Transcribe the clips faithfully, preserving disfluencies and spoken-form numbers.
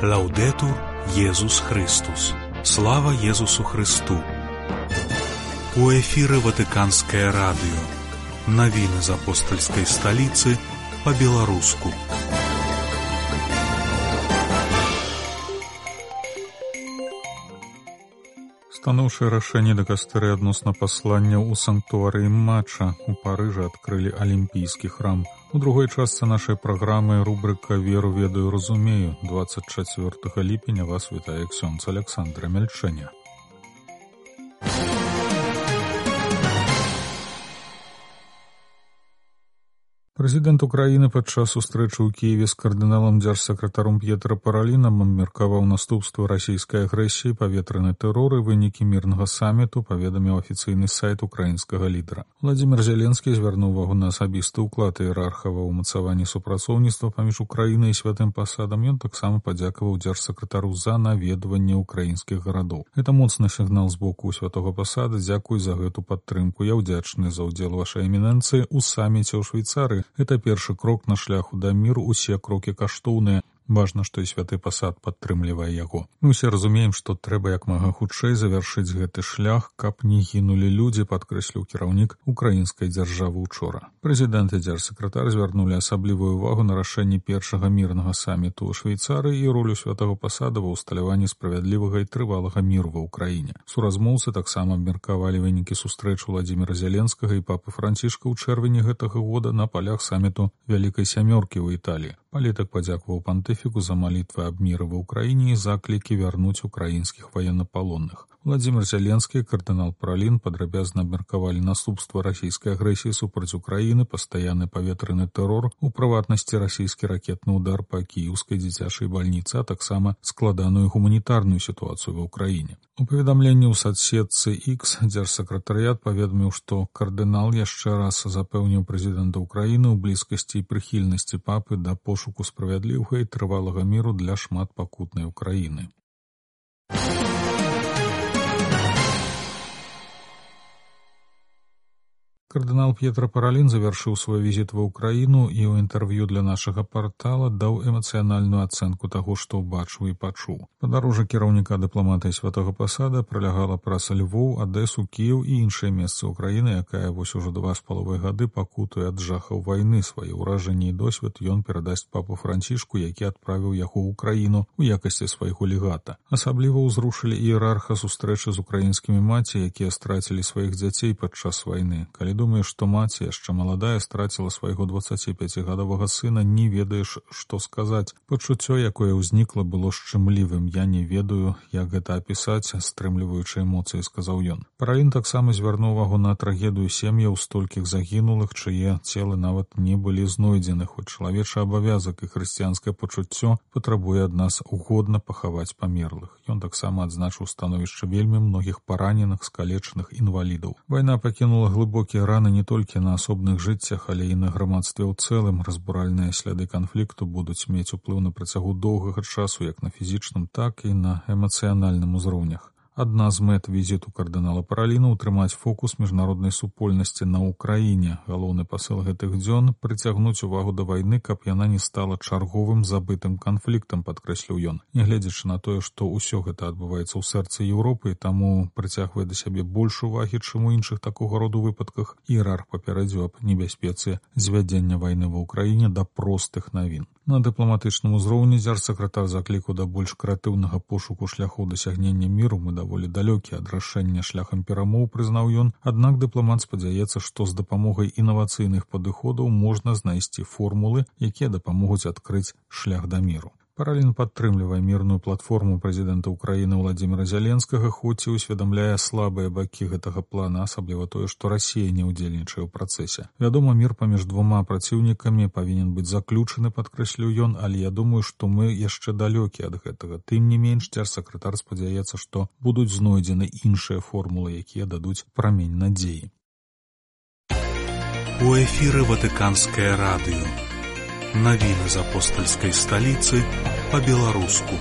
Лаўдэтур Езус Христус. Слава Езусу Христу. У эфіры Ватыканскае радыё. Навіны з апостальскай сталіцы па-беларуску. Станоўчае рашэнне дыкастэрыі адносна пасланняў у санктуарыі Мача у Парыжы адкрылі алімпійскі храм. У другой частцы нашай праграмы рубрыка «Веру, ведаю, разумею». двадцать чацвёртага ліпеня вас вітае ксёндз Александра Мельчэня. Прэзідэнт Украіны падчас сустрэчы ў Кіеве з кардыналам дзяржсакратаром П'етра Паралінам абмеркаваў наступствы расійскай агрэсіі, паветраны тэрор і вынікі мірнага саміту, паведаміў афіцыйны сайт украінскага лідара. Владзімір Зеленскі звярнуў увагу на асабісты ўклад іерарха ва ўмацаванні супрацоўніцтва паміж Украінай і святым пасадам. Ён таксама падзякаваў дзяржсакратару за наведванне ўкраінскіх гарадоў. Гэта моцны сігнал з боку святога пасада. Дзякуй за гэту падтрымку. Я ўдзячны за ўдзел вашай эмінэнцыі ў саміце ў Швейцарыі. Гэта першы крок на шляху да міру, усе крокі каштоўныя. Важна, што і святы пасад падтрымлівае яго. Мы ўсе разумеем, што трэба як мага хутчэй завяршыць гэты шлях, каб не гінулі людзі, падкрэсліў кіраўнік украінскай дзяржавы учора. Прэзідэнт і дзяржсакратар звярнулі асаблівую ўвагу на рашэнне першага мірнага саміту ў Швейцарыі і ролю святага пасада ва ўсталяванні справядлівага і трывалага міру ва ўкраіне. Суразмоўцы таксама абмеркавалі вынікі сустрэчы Владзіміра Зеленскага і папы Францішка ў чэрвені гэтага года на палях саміту Вялікай сямёркі ў Італіі. Палітык падзякаваў пантыфіку за малітвы аб міры ва ўкраіне і заклікі вярнуць украінскіх ваеннапалонных. Владзімір Зеленскі і кардынал Паралін падрабязна абмеркавалі наступствы расійскай агрэсіі супраць Украіны, пастаянны паветраны тэрор, у прыватнасці расійскі ракетны ўдар па кіеўскай дзіцячай бальніцы, а таксама складаную гуманітарную сітуацыю ва ўкраіне. У паведамленні ў садсетцы X дзяржсакратарыят паведаміў, што кардынал яшчэ раз запэўніў прэзідэнта Украіны ў блізкасці і прыхільнасці папы да пошуку справядлівага і трывалага міру для шматпакутнай Украіны. Кардынал П'етра Паралін завяршыў свой візіт ва ўкраіну і ў інтэрв'ю для нашага партала даў эмацыянальную ацэнку таго, што ўбачыў і пачуў. Падарожжа кіраўніка дыпламатыі святога пасада пралягала праз Львоў, Адэсу, Кіеў і іншыя месцы ўкраіны, якая вось ужо два з паловай гады пакутуе ад жахаў вайны. Свае ўражанні і досвед ён перадасць папу Францішку, які адправіў яго ў Украіну у якасці свайго легата. Асабліва ўзрушылі іерарха сустрэчы з украінскімі маці, якія страцілі сваіх дзяцей падчас вайны. Калі думаю, што маці, яшчэ маладая, страціла свайго дваццаціпяцігадовага сына, не ведаеш, што сказаць. Пачуццё, якое ўзнікла, было шчымлівым. Я не ведаю, як гэта апісаць, стрымліваючы эмоцыі, сказаў ён. Паралін таксама звярнуў увагу на трагедыю сем'яў столькіх загінулых, чые целы нават не былі знойдзены, хоць чалавечы абавязак і хрысціянскае пачуццё патрабуе ад нас годна пахаваць памерлых. Ён таксама адзначыў становішча вельмі многіх параненых, скалечаных інвалідаў. Вайна пакінула глыбокія раны не толькі на асобных жыццях, але і на грамадстве ў цэлым. Разбуральныя сляды канфлікту будуць мець уплыў на працягу доўгага часу як на фізічным, так і на эмацыянальным узроўнях. Адна з мэт візіту кардынала Параліна — утрымаць фокус міжнароднай супольнасці на Ўкраіне. Галоўны пасыл гэтых дзён — прыцягнуць увагу да вайны, каб яна не стала чарговым забытым канфліктам, падкрэсліў ён. Нягледзячы на тое, што ўсё гэта адбываецца ў сэрцы Еўропы, таму прыцягвае да сябе больш увагі, чым у іншых такога роду выпадках, іерарх папярэдзіў аб небяспецы звядзення вайны ва ўкраіне да простых навін. На дыпламатычным узроўні дзяржсакратар заклікаў да больш крэатыўнага пошуку шляхоў дасягнення міру. Мы даволі далёкі ад рашэння шляхам перамоў, прызнаў ён. Аднак дыпламат спадзяецца, што з дапамогай інавацыйных падыходаў можна знайсці формулы, якія дапамогуць адкрыць шлях да міру. Паралін падтрымлівае мірную платформу прэзідэнта Украіны Владзіміра Зеленскага, хоць і ўсведамляе слабыя бакі гэтага плана, асабліва тое, што Расія не ўдзельнічае ў працэсе. Вядома, мір паміж двума праціўнікамі павінен быць заключаны, падкрэсліў ён, але я думаю, што мы яшчэ далёкі ад гэтага. Тым не менш, дзяржсакратар спадзяецца, што будуць знойдзены іншыя формулы, якія дадуць прамень надзеі. У эфіры Ватыканскае радыё. Навіны з апостальскай сталіцы па-беларуску.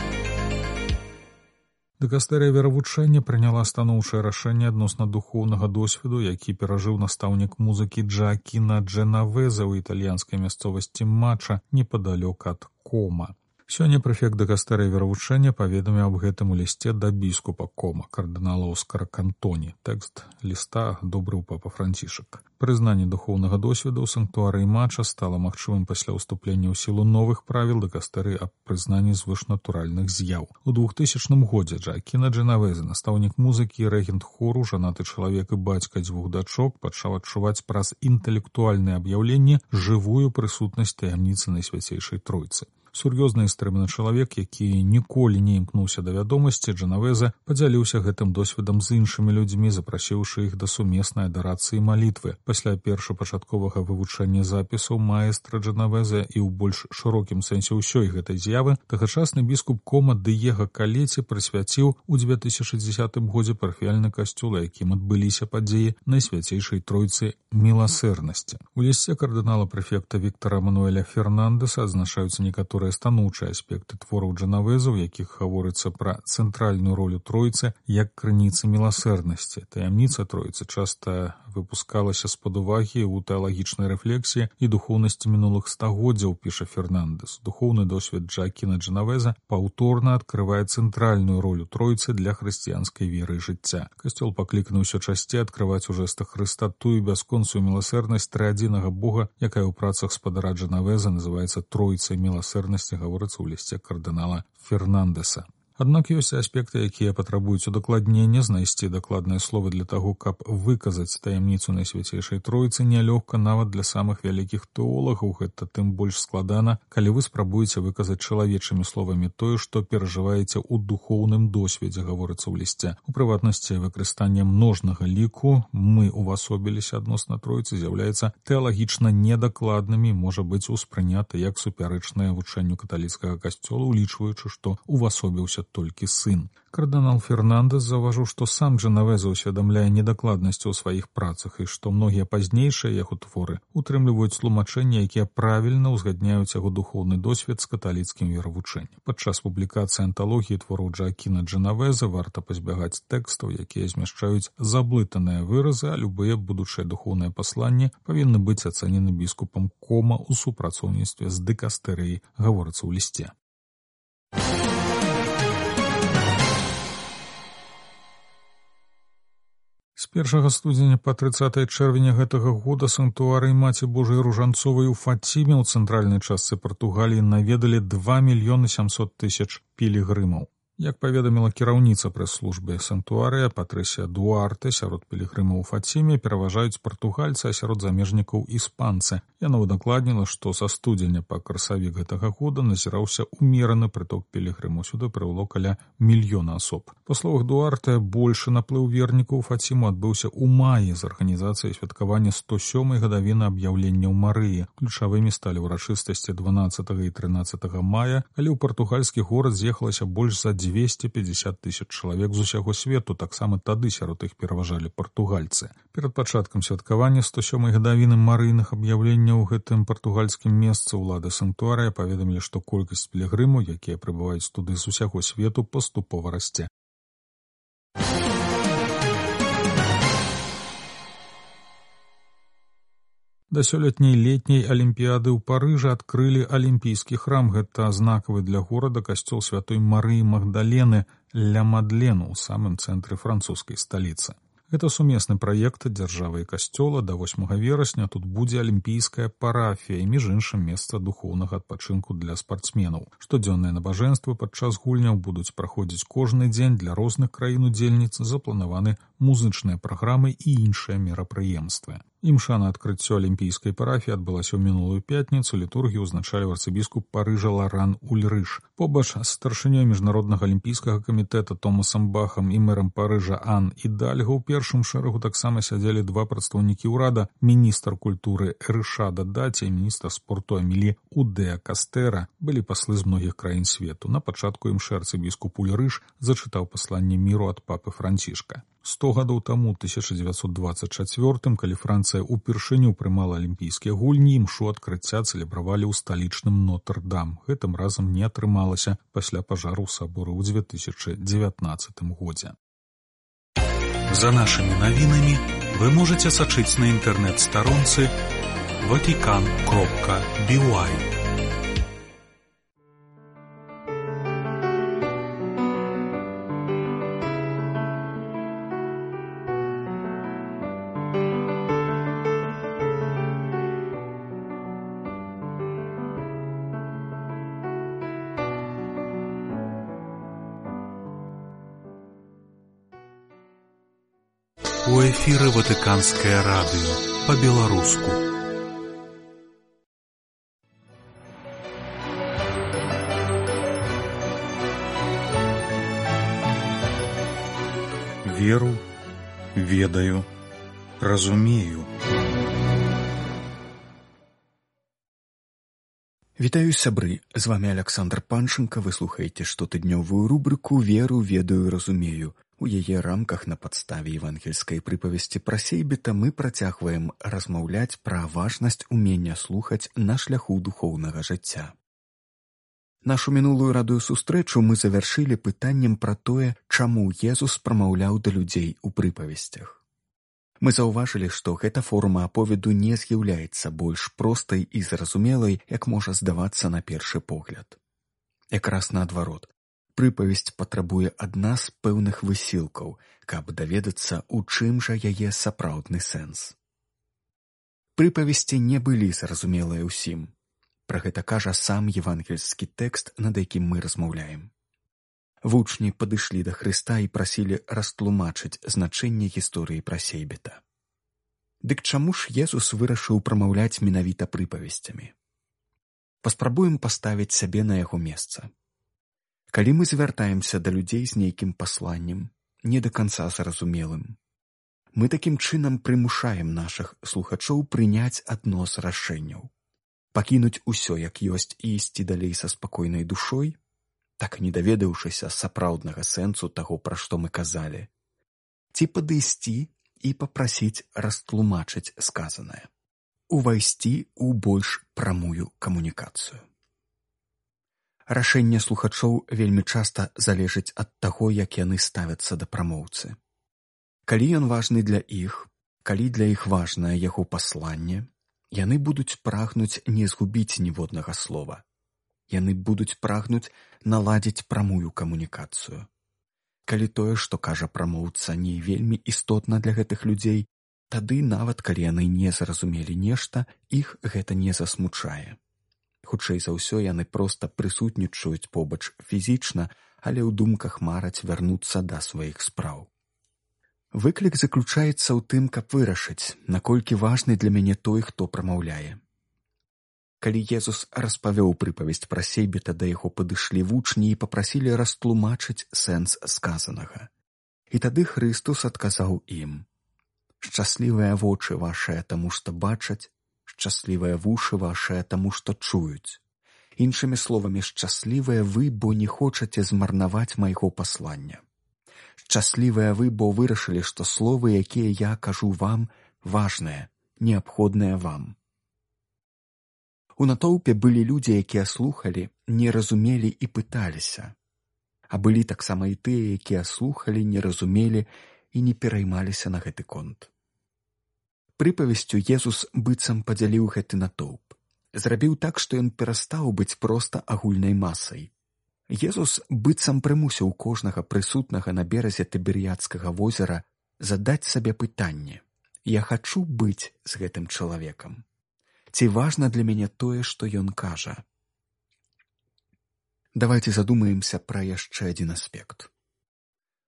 Дыкастэрыя веравучэння прыняла станоўчае рашэнне адносна духоўнага досведу, які перажыў настаўнік музыкі Джоакіно Дженовезе ў італьянскай мясцовасці Мача непадалёк ад Кома. Сёння прэфект дыкастэрыі веравучэння паведаміў аб гэтым у лісце да біскупа Кома, кардынала Оскара Кантоні. Тэкст ліста адобрыў папа Францішак. Прызнанне духоўнага досведу ў санктуарыі Мача стала магчымым пасля ўступлення ў сілу новых правіл дыкастэрыі аб прызнанні звышнатуральных з'яў. У двухтысячным годзе Джоакіна Дженавезе, настаўнік музыкі і рэгент хору, жанаты чалавек і бацька дзвюх дачок, пачаў адчуваць праз інтэлектуальнае аб'яўленне жывую прысутнасць таямніцы Найсвяцейшай Тройцы. Сур'ёзны і стрымны чалавек, які ніколі не імкнуўся да вядомасці, Дженавезе падзяліўся гэтым досведам з іншымі людзьмі, запрасіўшы іх да сумеснай адарацыі малітвы. Пасля першапачатковага вывучэння запісаў маэстра Дженавезе і ў больш шырокім сэнсе ўсёй гэтай з'явы, тагачасны біскуп Кома Дыега Калеці прысвяціў у дзве тысячы дзесятым годзе парафіяльны касцёл, якім адбыліся падзеі Найсвяцейшай Тройцы міласэрнасці. У лісце кардынала прэфекта Віктара Мануэля Фернандэса адзначаюцца некаторыя станоўчыя аспекты твораў Дженавезе, у якіх гаворыцца пра цэнтральную ролю Тройцы як крыніцы міласэрнасці. Таямніца Тройцы часта выпускалася з-пад увагі ў тэалагічнай рэфлексіі і духоўнасці мінулых стагоддзяў, піша Фернандэс. Духоўны досвед Джоакіна Дженавезе паўторна адкрывае цэнтральную ролю Тройцы для хрысціянскай веры і жыцця. Касцёл пакліканы ўсё часцей адкрываць у жэстах Хрыста тую бясконцую міласэрнасць трыадзінага Бога, якая ў працах спадара Дженавезе называецца Тройцай міласэрнасці, гаворыцца ў лісце кардынала Фернандэса. Аднак ёсць аспекты, якія патрабуюць удакладнення, знайсці дакладныя словы для таго, каб выказаць таямніцу Найсвяцейшай Тройцы нялёгка нават для самых вялікіх тэолагаў. Гэта тым больш складана, калі вы спрабуеце выказаць чалавечымі словамі тое, што перажываеце ў духоўным досведзе, гаворыцца ў лісце. У прыватнасці, выкарыстанне множнага ліку «мы увасобіліся» адносна Тройцы з'яўляецца тэалагічна недакладнымі, можа быць успрынята як супярэчнае вучэнню каталіцкага касцёла, улічваючы, што увасобіўся толькі сын. Кардынал Фернандэс заўважыў, што сам Дженавезе ўсведамляе недакладнасці ў сваіх працах і што многія пазнейшыя яго творы утрымліваюць тлумачэнні, якія правільна ўзгадняюць яго духоўны досвед з каталіцкім веравучэннем. Падчас публікацыі анталогіі твораў Джоакіна Дженавезе варта пазбягаць тэкстаў, якія змяшчаюць заблытаныя выразы, а любыя будучыя духоўныя пасланні павінны быць ацэнены біскупам Кома ў супрацоўніцтве з дыкастэрыяй, гаворыцца ў лісце. З першага студзеня па трыццатае чэрвеня гэтага года санктуарый Маці Божай Ружанцовай у Фаціме ў цэнтральнай частцы Партугаліі наведалі два мільёны сямсот тысяч пілігрымаў. Як паведаміла кіраўніца прэс-службы санктуарыя Патрысія Дуарте, сярод пілігрымаў у Фаціме пераважаюць партугальцы, а сярод замежнікаў іспанцы. Яна удакладніла, што са студзеня па красавік гэтага года назіраўся умераны прыток пілігрымаў. Сюды прывяло каля мільёна асоб. Па словах Дуарте, большы наплыў вернікаў у Фаціму адбыўся ў маі з арганізацыяй святкавання сто сёмай гадавіны аб'яўленняў Марыі. Ключавымі сталі ўрачыстасці дванаццатага і трынаццатага мая, калі ў партугальскі горад з'ехалася больш за дзвесце пятьдесят тысяч чалавек з усяго свету, таксама тады сярод іх пераважалі партугальцы. Перад пачаткам святкавання сто сёмай гадавіны марыйных аб'яўленняў у гэтым партугальскім месцы ўлады санктуарыя паведамілі, што колькасць пілігрымаў, якія прыбываюць туды з усяго свету, паступова расце. Да сёлетняй летняй алімпіяды ў Парыжы адкрылі алімпійскі храм. Гэта знакавы для горада касцёл святой Марыі Магдалены ля Мадлену ў самым цэнтры французскай сталіцы. Гэта сумесны праект дзяржавы і касцёла. Да восьмага верасня тут будзе алімпійская парафія і, між іншым, месца духоўнага адпачынку для спартсменаў. Штодзённыя набажэнствы падчас гульняў будуць праходзіць кожны дзень. Для розных краін-удзельніц запланаваны музычныя праграмы і іншыя мерапрыемствы. Імша на адкрыццё алімпійскай парафіі адбылася ў мінулую пятніцу. Літургію ўзначаліў арцыбіскуп Парыжа Ларан Ульрыш. Побач з старшынёй міжнароднага алімпійскага камітэта Томасам Бахам і мэрам Парыжа Ан Ідальго ў першым шэрагу таксама сядзелі два прадстаўнікі ўрада: міністр культуры Рышада Даці і міністр спорту Амілі Удеа Кастэра. Былі паслы з многіх краін свету. На пачатку імшы арцыбіскуп Ульрыш зачытаў пасланне міру ад папы Францішка. Сто гадоў таму, тысяча дзевяцьсот дваццаць чацвёртым, калі Францыя ўпершыню прымала алімпійскія гульні, імшу адкрыцця цэлебравалі ў сталічным Нотр-Дам. Гэтым разам не атрымалася пасля пажару сабора ў дзве тысячы дзевятнаццатым годзе. За нашымі навінамі вы можаце сачыць на інтэрнэт-старонцы ватикан кропка би уай. У эфіры Ватыканскае радыё па-беларуску. Веру, ведаю, разумею. Вітаю, сябры, з вами Александр Панченко. Вы слухаеце штотыднёвую рубрыку «Веру, ведаю, разумею». У яе рамках на падставе евангельскай прыпавесці пра сейбіта мы працягваем размаўляць пра важнасць умення слухаць на шляху духоўнага жыцця. Нашу мінулую радыёсустрэчу мы завяршылі пытаннем пра тое, чаму Езус прамаўляў да людзей у прыпавесцях. Мы заўважылі, што гэта форма аповеду не з'яўляецца больш простай і зразумелай, як можа здавацца на першы погляд. Якраз наадварот, прыпавесць патрабуе ад нас пэўных высілкаў, каб даведацца, у чым жа яе сапраўдны сэнс. Прыпавесці не былі зразумелыя ўсім. Пра гэта кажа сам евангельскі тэкст, над якім мы размаўляем. Вучні падышлі да Хрыста і прасілі растлумачыць значэнне гісторыі пра сейбіта. Дык чаму ж Езус вырашыў прамаўляць менавіта прыпавесцямі? Паспрабуем паставіць сябе на яго месца. Калі мы звяртаемся да людзей з нейкім пасланнем, не да канца зразумелым, мы такім чынам прымушаем нашых слухачоў прыняць адно з рашэнняў. Пакінуць усё як ёсць і ісці далей са спакойнай душой, так не даведаўшыся сапраўднага сэнсу таго, пра што мы казалі, ці падысці і папрасіць растлумачыць сказанае, увайсці ў больш прамую камунікацыю. Рашэнне слухачоў вельмі часта залежыць ад таго, як яны ставяцца да прамоўцы. Калі ён важны для іх, калі для іх важнае яго пасланне, яны будуць прагнуць не згубіць ніводнага слова. Яны будуць прагнуць наладзіць прамую камунікацыю. Калі тое, што кажа прамоўца, не вельмі істотна для гэтых людзей, тады нават калі яны не зразумелі нешта, іх гэта не засмучае. Хутчэй за ўсё яны проста прысутнічаюць побач фізічна, але ў думках мараць вярнуцца да сваіх спраў. Выклік заключаецца ў тым, каб вырашыць, наколькі важны для мяне той, хто прамаўляе. Калі Езус распавёў прыпавесць пра сейбіта, да яго падышлі вучні і папрасілі растлумачыць сэнс сказанага. І тады Хрыстус адказаў ім: «Шчаслівыя вочы вашыя таму, што бачаць, шчаслівыя вушы вашыя таму, што чуюць. Іншымі словамі, шчаслівыя вы, бо не хочаце змарнаваць майго паслання. Шчаслівыя вы, бо вырашылі, што словы, якія я кажу вам, важныя, неабходныя вам». У натоўпе былі людзі, якія слухалі, не разумелі і пыталіся. А былі таксама і тыя, якія слухалі, не разумелі і не пераймаліся на гэты конт. Прыпавесцю Езус быццам падзяліў гэты натоўп. Зрабіў так, што ён перастаў быць проста агульнай масай. Езус быццам прымусіў кожнага прысутнага на беразе Тыберыядскага возера задаць сабе пытанне: «Я хачу быць з гэтым чалавекам? Ці важна для мяне тое, што ён кажа?» Давайце задумаемся пра яшчэ адзін аспект.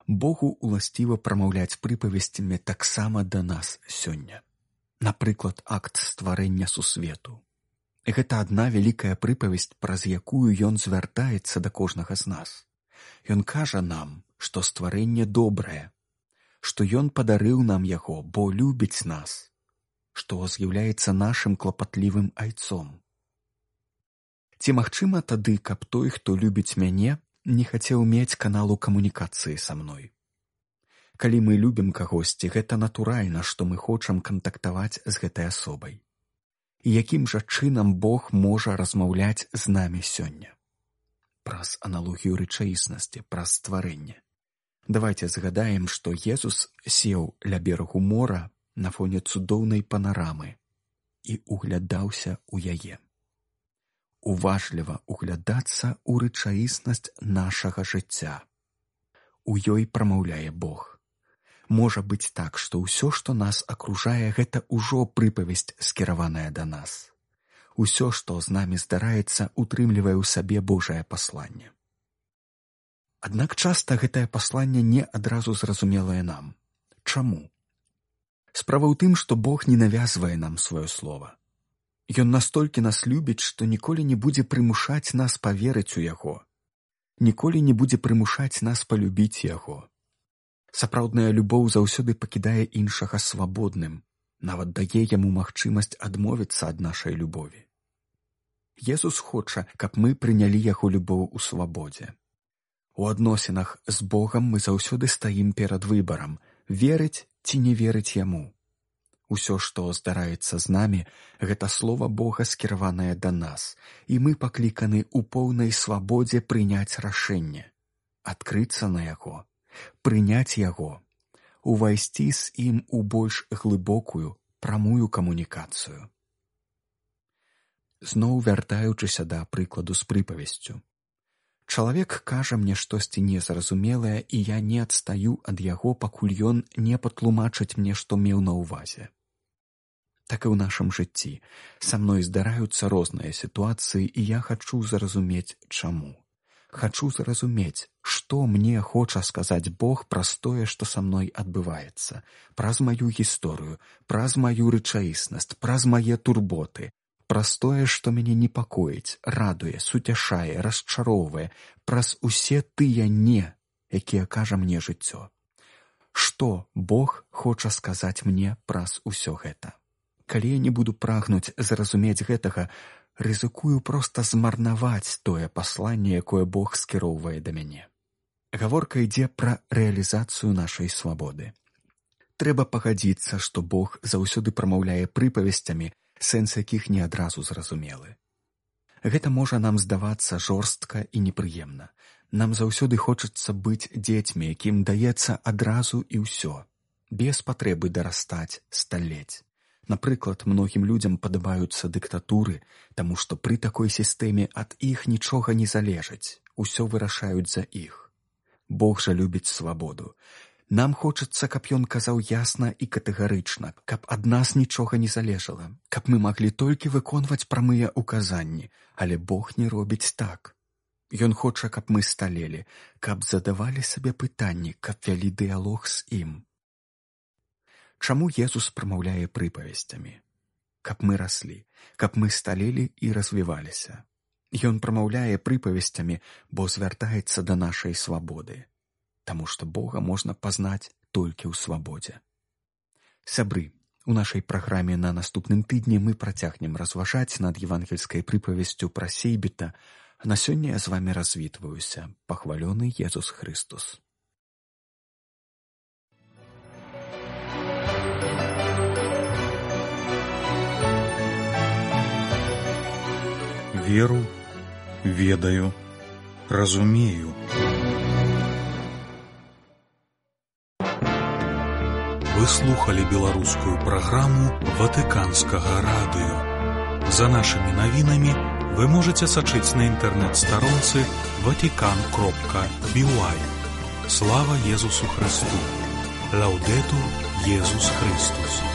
Богу уласціва прамаўляць прыпавесцямі таксама да нас сёння. Напрыклад, акт стварэння сусвету. Гэта адна вялікая прыпавесць, праз якую ён звяртаецца да кожнага з нас. Ён кажа нам, што стварэнне добрае, што ён падарыў нам яго, бо любіць нас, што з'яўляецца нашым клапатлівым айцом. Ці магчыма тады, каб той, хто любіць мяне, не хацеў мець каналу камунікацыі са мной? Калі мы любім кагосьці, гэта натуральна, што мы хочам кантактаваць з гэтай асобай. І якім жа чынам Бог можа размаўляць з намі сёння? Праз аналогію рэчаіснасці, праз стварэнне. Давайце згадаем, што Езус сеў ля берагу мора на фоне цудоўнай панарамы і углядаўся ў яе. Уважліва углядацца ў рэчаіснасць нашага жыцця. У ёй прамаўляе Бог. Можа быць так, што ўсё, што нас акружае, гэта ўжо прыпавесць, скіраваная да нас. Усё, што з намі здараецца, утрымлівае ў сабе Божае пасланне. Аднак часта гэтае пасланне не адразу зразумелае нам. Чаму? Справа ў тым, што Бог не навязвае нам сваё слова. Ён настолькі нас любіць, што ніколі не будзе прымушаць нас паверыць у Яго. Ніколі не будзе прымушаць нас палюбіць Яго. Сапраўдная любоў заўсёды пакідае іншага свабодным, нават дае яму магчымасць адмовіцца ад нашай любові. Езус хоча, каб мы прынялі Яго любоў у свабодзе. У адносінах з Богам мы заўсёды стаім перад выбарам, верыць ці не верыць Яму. Усё, што здараецца з намі, гэта слова Бога скіраванае да нас, і мы пакліканы ў поўнай свабодзе прыняць рашэнне, адкрыцца на яго, прыняць яго, увайсці з ім у больш глыбокую, прамую камунікацыю. Зноў вяртаючыся да прыкладу з прыпавесцю. Чалавек кажа мне штосьці незразумелае, і я не адстаю ад яго, пакуль ён не патлумачыць мне, што меў на ўвазе. Так і ў нашым жыцці. Са мной здараюцца розныя сітуацыі, і я хачу зразумець, чаму. Хачу зразумець, што мне хоча сказаць Бог праз тое, што са мной адбываецца, праз маю гісторыю, праз маю рэчаіснасць, праз мае турботы, праз тое, што мяне непакоіць, радуе, суцяшае, расчароўвае, праз усе тыя «не», якія кажа мне жыццё. Што Бог хоча сказаць мне праз усё гэта? Калі я не буду прагнуць зразумець гэтага, рызыкую проста змарнаваць тое пасланне, якое Бог скіроўвае да мяне. Гаворка ідзе пра рэалізацыю нашай свабоды. Трэба пагадзіцца, што Бог заўсёды прамаўляе прыпавесцямі, сэнс якіх не адразу зразумелы. Гэта можа нам здавацца жорстка і непрыемна. Нам заўсёды хочацца быць дзецьмі, якім даецца адразу і ўсё, без патрэбы дарастаць, сталець. Напрыклад, многім людзям падабаюцца дыктатуры, таму што пры такой сістэме ад іх нічога не залежыць, усё вырашаюць за іх. Бог жа любіць свабоду. Нам хочацца, каб ён казаў ясна і катэгарычна, каб ад нас нічога не залежала, каб мы маглі толькі выконваць прамыя ўказанні, але Бог не робіць так. Ён хоча, каб мы сталелі, каб задавалі сабе пытанні, каб вялі дыялог з ім. Чаму Езус прамаўляе прыпавесцямі? Каб мы раслі, каб мы сталелі і развіваліся. Ён прамаўляе прыпавесцямі, бо звяртаецца да нашай свабоды, таму што Бога можна пазнаць толькі ў свабодзе. Сябры, у нашай праграме на наступным тыдні мы працягнем разважаць над евангельскай прыпавесцю пра сейбіта, а на сёння я з вамі развітваюся. Пахвалёны Езус Хрыстус. Веру, ведаю, разумею. Вы слухали беларускую праграму Ватыканскага радыё. За нашымі навінамі вы можаце сачыць на інтэрнэт-старонцы ватикан кропка би уай. Слава Езусу Христу! Лаўдэтур Езус Христус!